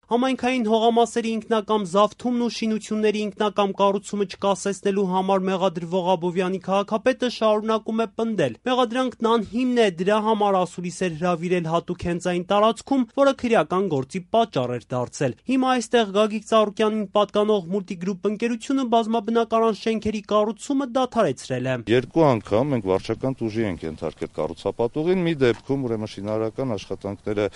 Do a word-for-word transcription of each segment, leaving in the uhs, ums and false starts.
Համայնքային հողամասերի ինքնակամ զավթումն ու շինությունների ինքնակամ կառուցումը չկասեցնելու համար մեղադրվող Աբովյանի քաղաքապետը շարունակում է պնդել. մեղադրանքն անհիմն է, դրա համար ասուլիս էր հրավիրել հատուկ հենց այն տարածքում, որը քրեական գործի պատճառ էր դարձել։ Հիմա այստեղ Գագիկ Ծառուկյանին պատկանող Multigroup ընկերությունը բազմաբնակարան շենքերի կառուցումը դադարեցրել է։ Երկու անգամ մենք վարչական տուժի ենք ենթարկել կառուցապատողին, մի դեպքում ուրեմն շինարարական աշխատանքները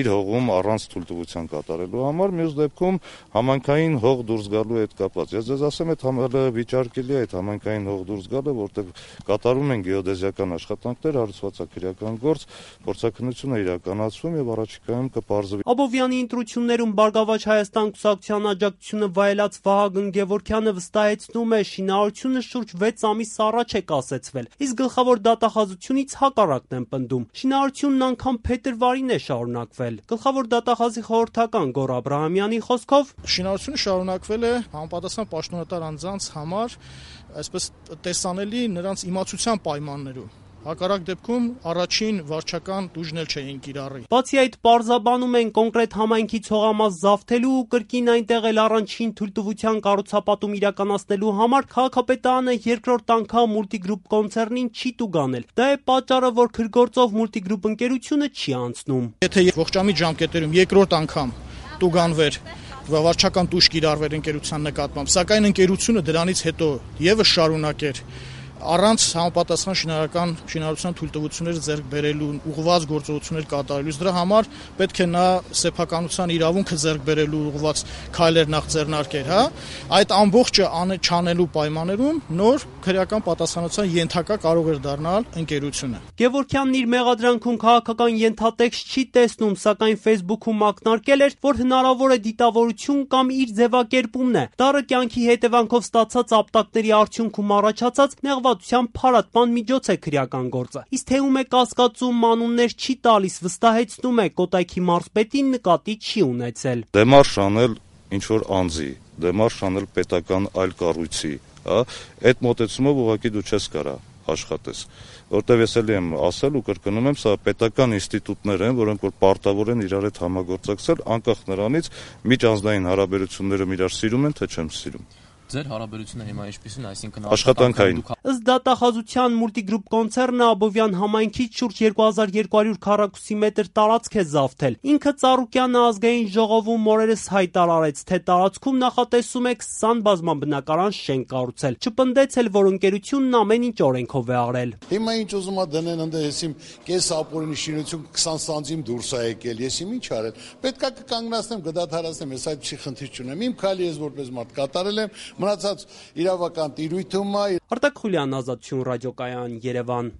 իր հողում առանց թույլտվության կատարելու համար, մյուս դեպքում համայնքային հող դուրս գալու հետ կապված։ Ես ձեզ ասեմ, այդ համալը վիճարկելի է այդ համայնքային հող դուրս գալը, որտեղ կատարում են գեոդեզիական աշխատանքներ, հարուցվածաքրեական գործ, փորձաքննություն է իրականացվում եւ առաջիկայում կպարզվի։ Աբովյանի ընտրություններում Բարգավաճ Հայաստան կուսակցության աջակցությունը վայելած Վահագն Գևորգյանը վստահեցնում է, շինարարությունը շուրջ վեց ամիս առաջ է կասեցվել, իսկ գլխավոր դատախազությունից հակառակն են պնդում։ Շինարարությունն անգամ փետրվարին է շարունակվել։ Գլխավոր դատախազի խորհրդական Գոռ Աբրահամյանի խոսքով շինարարությունը շարունակվել է համապատասխան պաշտոնատար անձանց համար, այսպես տեսանելի նրանց իմացության պայմաններում։ Հակառակ դեպքում առաջին վարչական տուժն էլ չէին կիրառի։ Բացի այդ, պարզաբանում են կոնկրետ համայնքից հողամաս զավթելու ու կրկին այնտեղ էլ առանցին թույլտվության կառուցապատում իրականացնելու համար քաղաքապետարանը երկրորդ անգամ Multigroup կոնցեռնին չի տուգանել։ Դա է պատճառը, որ քրգործով Multigroup ընկերությունը չի անցնում։ Եթե ողջամիտ ժամկետերում երկրորդ անգամ տուգանվեր վարչական տուժ կիրառվեր ընկերության նկատմամբ, սակայն ընկերությունը դրանից հետո եւս շարունակեր առանց համապատասխան շինարարական շինարարության թույլտվություններ ձեռք բերելու ուղղված գործողություններ կատարելուց դրա համար պետք է նա սեփականության իրավունքը ձեռք բերելու ուղղված քայլեր նախ ձեռնարկեր, հա, այդ ամբողջը չանելու պայմաններում նոր քրեական պատասխանատվության ենթակա կարող էր դառնալ ընկերությունը։ Գևորգյանն իր մեղադրանքում քաղաքական ենթատեքստ չի տեսնում, սակայն Facebook-ում ակնարկել էր, որ հնարավոր է դիտավորություն կամ իր ձևակերպումն է։ Դառը կյանքի հետևանքով ստացած ապտակների արդյունքում առաջացած նեղվատության փարատման միջոց է քրեական գործը։ Իսկ թե ում է կասկածում, անուններ չի տալիս, վստահեցնում է, Կոտայքի մարզպետին նկատի չի ունեցել։ Դեմարշ անել ինչ որ անձի, դեմարշ անել պետական այլ կառույցի, հա, այդ մոտեցումով ուղղակի դու չես կարա աշխատես, որտեվ ես էլի եմ ասել ու կրկնում եմ, սա պետական ինստիտուտներ են, որոնք որ պարտավոր են իրար հետ համագործակցել, անկախ նրանից միջանձնային հարաբերությունները իրար սիրում են, թե չեմ սիրում։ Ձեր հարաբերությունը հիմա ինչպիսին, այսինքն աշխատանքային։ Ըստ դատախազության Multigroup կոնցեռնը Աբովյան համայնքից շուրջ երկու հազար երկու հարյուր քառակուսի մետր տարածք է զավթել։ Ինքը Ծառուկյանը ազգային ժողովում օրերս հայտարարեց, թե տարածքում նախատեսում է քսան բազմաբնակարան շենք կառուցել։ Չպնդեց էլ, որ ընկերությունն ամեն ինչ օրենքով է արել։ Հիմա ինչ ուզում ա դնեն ընդ հեսիմ կես ապօրինի շինություն քսան սանտիմ դուրս ա եկել, ես իմ ինչ արել։ Պետքա կկանգնացնեմ, կդադարացնեմ, ես այդ չի խնդիր չունեմ։ Իմ քայլը ես որպես մարդ կատարել եմ, մնացած իրավական տիրույթում է։ Արտակ Խուլյան, Ազատություն ռադիոկայան, Երևան։